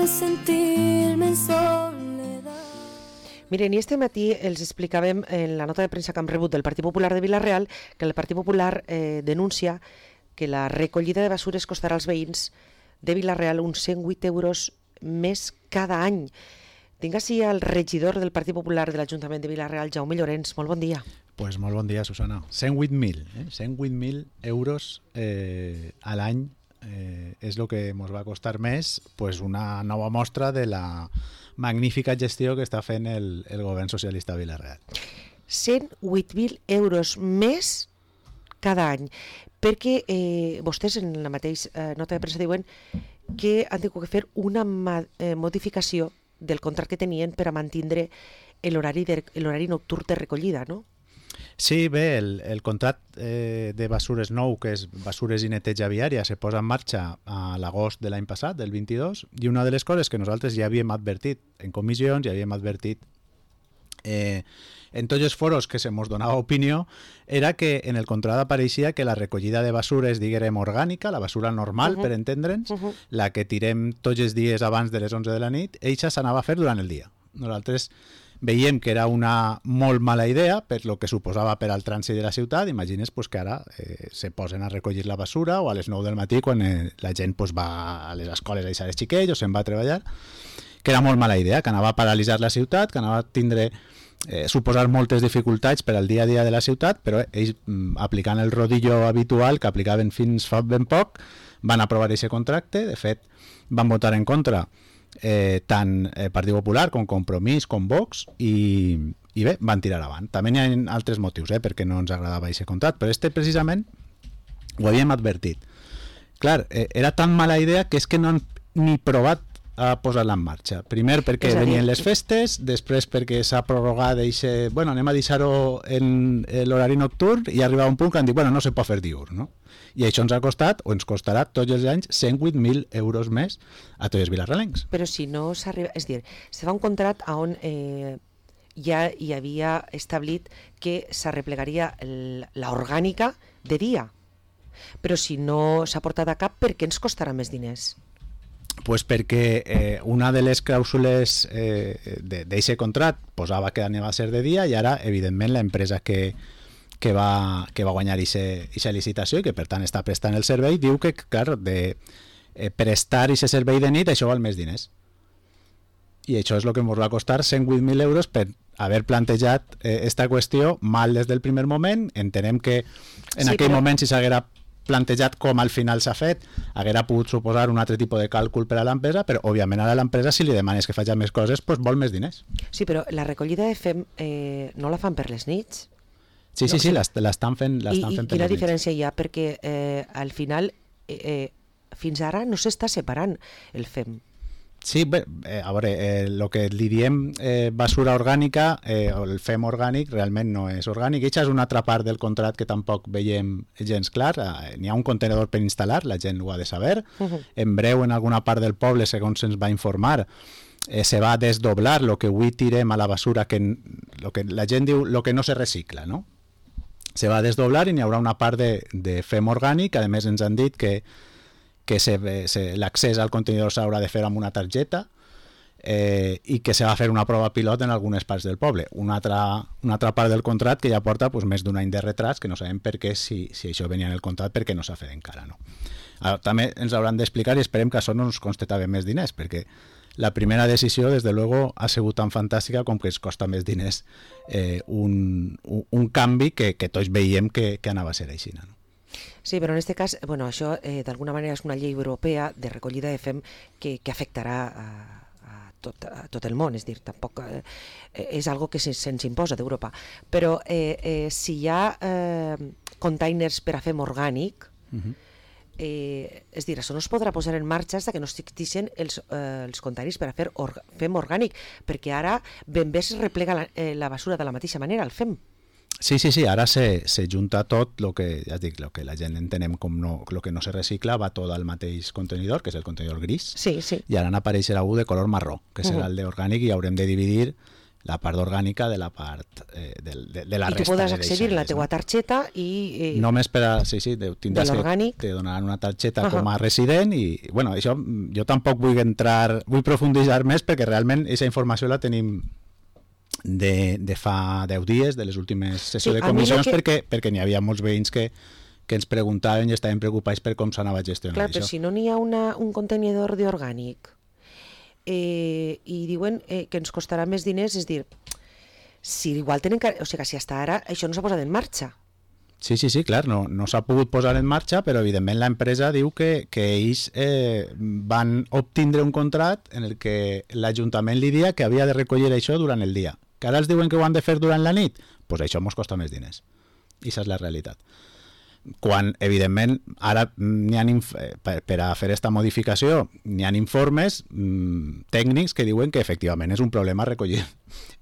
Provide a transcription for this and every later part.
de sentirme en soledad. Miren, i este matí els explicàvem en la nota de premsa que hem rebut del Partit Popular de Vila-real que el Partit Popular denuncia que la recollida de basures costarà als veïns de Vila-real uns 108 euros més cada any. Tinc així el regidor del Partit Popular de l'Ajuntament de Vila-real, Jaume Llorens. Molt bon dia. Pues molt bon dia, Susana. 108.000, 108.000 euros a l'any és el que ens va costar més, pues una nova mostra de la magnífica gestió que està fent el govern socialista a Vila-real. 108.000 euros més cada any, perquè vostès en la mateixa nota de premsa diuen que han tingut que fer una modificació del contracte que tenien per a mantindre l'horari nocturn de recollida, no? Sí, bé, el contracte de basures nou, que és basures i neteja viària, se posa en marxa a l'agost de l'any passat, del 22, i una de les coses que nosaltres ja havíem advertit en comissions, ja havíem advertit en tots els foros que se mos donava opinió, era que en el contracte apareixia que la recollida de basures, diguem, orgànica, la basura normal, per entendre'ns, la que tirem tots els dies abans de les 11 de la nit, eixa s'anava a fer durant el dia. Nosaltres veiem que era una molt mala idea per lo que suposava per al trànsit de la ciutat. Imagines pues, que ara se posen a recollir la basura o a les 9 del matí quan la gent pues, va a les escoles a deixar els xiquets o se'n va a treballar, que era molt mala idea, que anava a paralitzar la ciutat, que anava a tindre suposar moltes dificultats per al dia a dia de la ciutat, però ells, aplicant el rodillo habitual que aplicaven fins fa ben poc, van aprovar aquest contracte. De fet, van votar en contra tant Partit Popular com Compromís com Vox i bé, van tirar avant. També hi ha altres motius perquè no ens agradava aquest contracte, però precisament ho havíem advertit. Clar, era tan mala idea que és que no han ni provat a posar-la en marxa. Primer perquè venien les festes, després perquè s'ha prorrogat bueno, anem a deixar-ho en l'horari nocturn, i arriba un punt que han dit, bueno, no se pot fer diurn, no? I això ens ha costat, o ens costarà tots els anys, 108.000 euros més a tots els vilarrealencs. Però si no s'arriba... És a dir, se fa un contracte on ja hi havia establit que s'arreplegaria l'orgànica de dia. Però si no s'ha portat a cap, per què ens costarà més diners? Pues perquè una de les clàusules d'aquest contracte posava que anava a ser de dia, i ara, evidentment, l'empresa que va guanyar aquesta licitació i que per tant està prestant el servei diu que, clar, de prestar aquest servei de nit això val més diners, i això és el que ens va costar 108.000 euros per haver plantejat esta qüestió mal des del primer moment. Entenem que en aquell moment, si s'haguera plantejat com al final s'ha fet, haguera pogut suposar un altre tipus de càlcul per a l'empresa, però òbviament ara l'empresa, si li demanes que faci més coses, doncs vol més diners. Sí, però la recollida de FEM no la fan per les nits? Sí, l'estan fent per les nits. I quina diferència hi ha? Perquè al final fins ara no s'està separant el FEM. Sí, bé, a veure, el que li diem basura orgànica o el FEM orgànic realment no és orgànic. Aquesta és una altra part del contracte que tampoc veiem gens clar. N'hi ha un contenedor per instal·lar, la gent ho ha de saber. En breu, en alguna part del poble, segons se'ns va informar, se va desdoblar el que avui tirem a la basura, lo que la gent diu lo que no se recicla, no? Se va desdoblar i n'hi haurà una part de FEM orgànic. A més, ens han dit que l'accés al contenidor s'haurà de fer amb una targeta i que se va fer una prova pilot en algunes parts del poble. Una altra part del contracte que ja porta més d'un any de retras, que no sabem per què, si això venia en el contracte, perquè no s'ha fet encara, no? També ens hauran d'explicar, i esperem que això no ens costi també més diners, perquè la primera decisió, des de luego, ha sigut tan fantàstica com que ens costa més diners un canvi que tots veiem que anava a ser així, no? Sí, però en aquest cas, bueno, això d'alguna manera és una llei europea de recollida de FEM que afectarà a tot el món, és dir, tampoc és algo que se'ns imposa d'Europa. Però si hi ha containers per a FEM orgànic, és dir, això no es podrà posar en marxa fins que no existeixin els containers per a fer FEM orgànic, perquè ara ben bé es replega la basura de la mateixa manera, el FEM. Sí, ara se junta tot el que, ja dic, lo que la gent entenem com el que no se recicla, va tot al mateix contenidor, que és el contenidor gris, sí. I ara n'apareixerà un de color marró, que serà el d'orgànic, i haurem de dividir la part orgànica de la part de la I tu resta podràs de accedir a la deixalles, teua no? targeta i... Només per a... Sí, tindràs de l'orgànic. te donaran una targeta com a resident i, bueno, això jo tampoc vull profunditzar més perquè realment aquesta informació la tenim de fa 10 dies, de les últimes sessions de comissions, perquè n'hi havia molts veïns que ens preguntaven i estaven preocupats per com s'anava gestionant Clar, això. però si no n'hi ha un contenidor d'orgànic i diuen que ens costarà més diners, és dir, si igual tenen que... O sigui, si hasta ara això no s'ha posat en marxa. Sí, clar, no s'ha pogut posar en marxa, però evidentment l'empresa diu que ells van obtindre un contracte en el que l'Ajuntament li dia que havia de recollir això durant el dia. Que ara els diuen que ho han de fer durant la nit? Doncs pues això ens costa més diners. I aquesta és la realitat. Quan, evidentment, ara per a fer aquesta modificació n'hi ha informes tècnics que diuen que efectivament és un problema recollir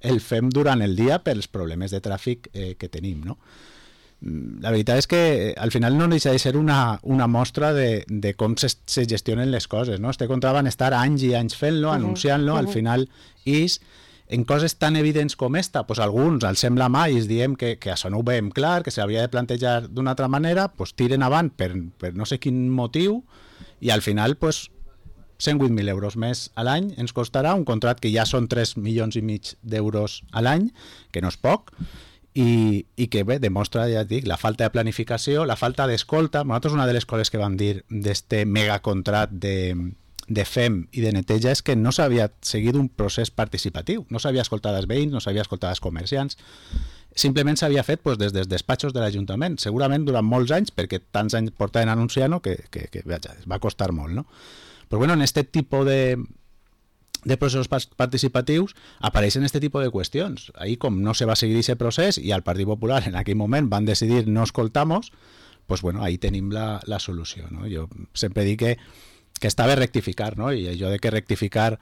el FEM durant el dia pels problemes de tràfic que tenim, no? La veritat és que al final no deixa de ser una mostra de com se gestionen les coses, no? Este contracte van estar anys i anys fent-lo, anunciant-lo, al final en coses tan evidents com esta, pues alguns els sembla mal i es diem que això no ho veiem clar, que s'hauria de plantejar d'una altra manera, pues tiren avant per no sé quin motiu i al final pues 108.000 euros més a l'any ens costarà un contracte que ja són 3,5 milions d'euros a l'any, que no és poc, i que bé, demostra, ja et dic, la falta de planificació, la falta d'escolta. Nosaltres una de les coses que vam dir d'este megacontracte de FEM i de neteja és que no s'havia seguit un procés participatiu, no s'havia escoltat els veïns, no s'havia escoltat els comerciants, simplement s'havia fet pues, des dels despatxos de l'Ajuntament, segurament durant molts anys, perquè tants anys portaven anunciant-ho que va costar molt, no? Però bueno, en aquest tipus de processos participatius apareixen aquest tipus de qüestions. Ahir, com no se va seguir aquest procés i al Partit Popular en aquell moment van decidir no escoltar-nos, pues bueno, ahí tenim la solució, no? Jo sempre dic que està bé rectificar, no? I això de que rectificar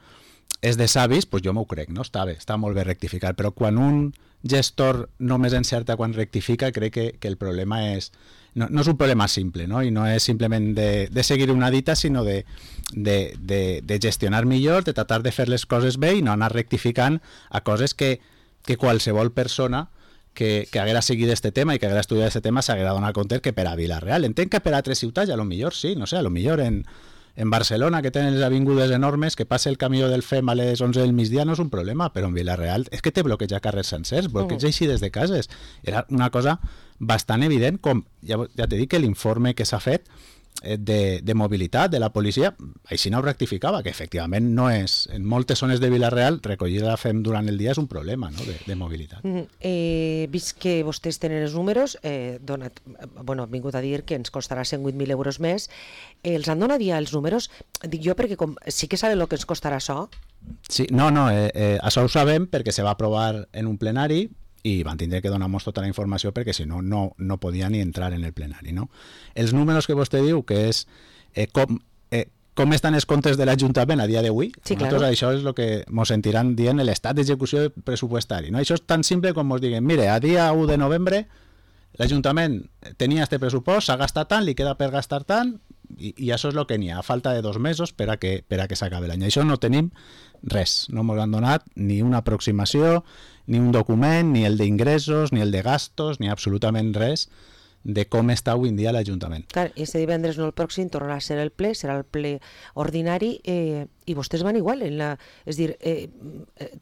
és de savis, pues jo m'ho crec, no? Està molt bé rectificar, però quan un gestor només encerta quan rectifica, crec que el problema és... No és un problema simple, no? I no és simplement de seguir una dita, sinó de gestionar millor, de tratar de fer les coses bé i no anar rectificant a coses que qualsevol persona que haguera seguit este tema i que haguera estudiat este tema s'haguera donat compte que per a Vila-real. Entenc que per a altres ciutats, a lo millor sí, no sé, a lo millor en Barcelona, que tenen les avingudes enormes, que passe el camió del FEM a les 11 del migdia no és un problema, però en Vila-real és que té bloqueja carrers sencers, bloqueja així des de cases. Era una cosa bastant evident, com ja t'he dit que l'informe que s'ha fet de mobilitat de la policia, així no ho rectificava, que efectivament no és, en moltes zones de Vila-real recollir la FEM durant el dia és un problema, no? de mobilitat. Vist que vostès tenen els números, han vingut a dir que ens costarà 108.000 euros més, els han donat ja els números? Dic jo perquè sí que saben el que ens costarà això. Sí, això ho sabem perquè se va aprovar en un plenari i van tindre que donar-nos tota la informació perquè si no, no podia ni entrar en el plenari, no? Els números que vostè diu, que és com estan els comptes de l'Ajuntament a dia d'avui, sí, nosaltres això és el que ens sentiran dient l'estat d'execució pressupostari, no? Això és tan simple com ens diguen, mire, a dia 1 de novembre l'Ajuntament tenia este pressupost, s'ha gastat tant, li queda per gastar tant, i això és el que n'hi ha, a falta de 2 mesos per a que s'acabi l'any. Això no tenim res, no ens han donat ni una aproximació, ni un document, ni el d'ingressos, ni el de gastos, ni absolutament res de com està avui en dia l'Ajuntament. Clar, i este divendres, no el pròxim, tornarà a ser el ple, serà el ple ordinari, i vostès van igual. És dir,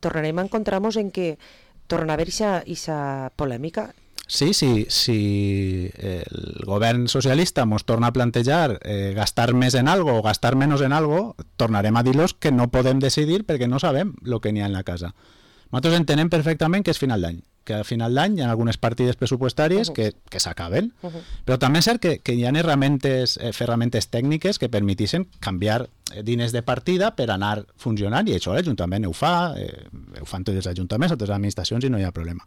tornarem a encontrar-nos en que torna a haver aquesta polèmica. Sí, si el govern socialista ens torna a plantejar gastar més en algo o gastar menys en algo, tornarem a dir-los que no podem decidir perquè no sabem el que n'hi ha en la casa. Nosaltres entenem perfectament que és final d'any, que a final d'any hi ha algunes partides pressupostàries que s'acaben, però també és cert que hi ha ferramentes tècniques que permetixen canviar diners de partida per anar funcionant, i això l'Ajuntament ho fa, ho fan tots els ajuntaments, totes les administracions, i no hi ha problema.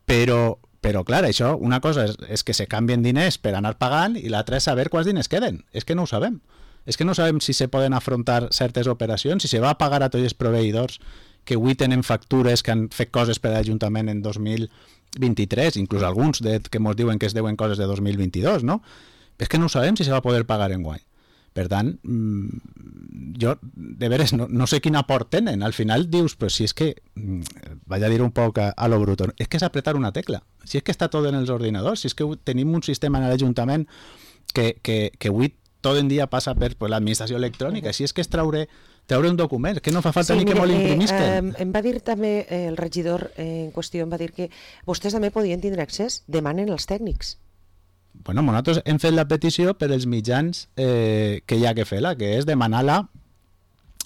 Però clar, això, una cosa és que se canvien diners per anar pagant i l'altra és saber quants diners queden. És que no ho sabem. És que no sabem si se poden afrontar certes operacions, si se va a pagar a tots els proveïdors que avui tenen factures que han fet coses per a l'Ajuntament en 2023, inclús alguns que ens diuen que es deuen coses de 2022, no? És que no sabem si se va poder pagar enguany. Per tant, jo, de veres, no sé quin aport tenen. Al final dius, però si és que vaig a dir un poc a lo bruto, és que és apretar una tecla. Si és que està tot en els ordinadors, si és que tenim un sistema en l'Ajuntament que avui tot en dia passa per l'administració electrònica, si és que és treure un document, que no fa falta ni que molt imprimisquen. Em va dir també el regidor en qüestió, em va dir que vostès també podien tindre accés, demanen els tècnics. Bueno, nosaltres hem fet la petició per els mitjans que hi ha que fer-la, que és demanar-la,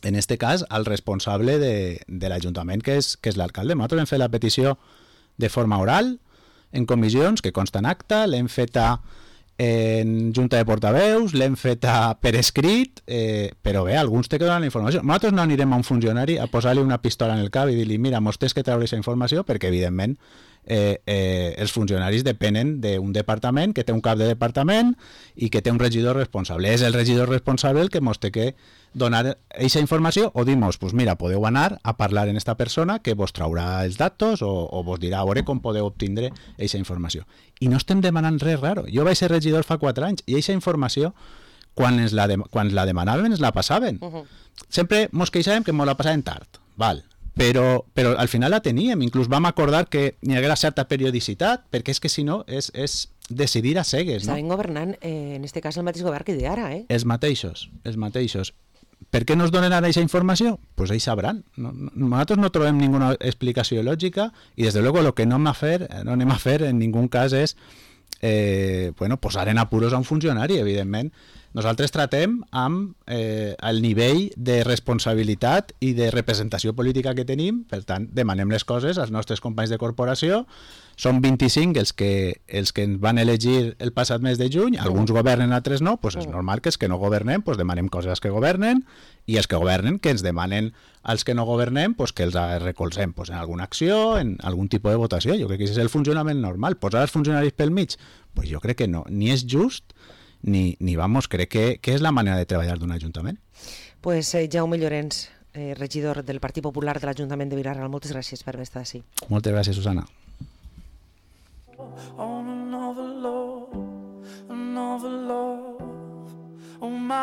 en este cas, al responsable de l'Ajuntament, que és l'alcalde. Nosaltres hem fet la petició de forma oral, en comissions, que consta en acta, l'hem feta en junta de portaveus, l'hem feta per escrit, però bé, alguns té que donar la informació. Nosaltres no anirem a un funcionari a posar-li una pistola en el cap i dir-li, mira, mos tens que treure aquesta informació, perquè evidentment els funcionaris depenen d'un departament que té un cap de departament i que té un regidor responsable. És el regidor responsable el que mos té que donar aquesta informació o dir-nos, pues mira, podeu anar a parlar en esta persona que vos traurà els datos o vos dirà a veure com podeu obtindre aquesta informació. I no estem demanant res raro. Jo vaig ser regidor fa 4 anys i aquesta informació, quan la demanaven, ens la passaven. Sempre mos queixàvem que mos la passaven tard, val? Però al final la teníem, inclús vam acordar que hi haguera certa periodicitat, perquè és que si no és decidir a cegues. Estaven governant, en este cas, el mateix govern que d'ara, eh? Els mateixos. Per què no es donen ara aquesta informació? Pues ells sabran. Nosaltres no trobem ninguna explicació lògica i, des de luego, el que no anem a fer en ningú cas és posar en apuros a un funcionari, evidentment. Nosaltres tratem amb el nivell de responsabilitat i de representació política que tenim, per tant, demanem les coses als nostres companys de corporació. Són 25 els que ens van elegir el passat mes de juny, alguns governen, altres no, doncs és normal que els que no governem demanem coses als que governen i els que governen que ens demanen als que no governem que els recolzem en alguna acció, en algun tipus de votació. Jo crec que és el funcionament normal. Posar els funcionaris pel mig? Jo crec que no, ni és just ni vamos, crec que és la manera de treballar d'un ajuntament. Pues Jaume Llorens, regidor del Partit Popular de l'Ajuntament de Vila-real, moltes gràcies per haver estat així. Moltes gràcies, Susana.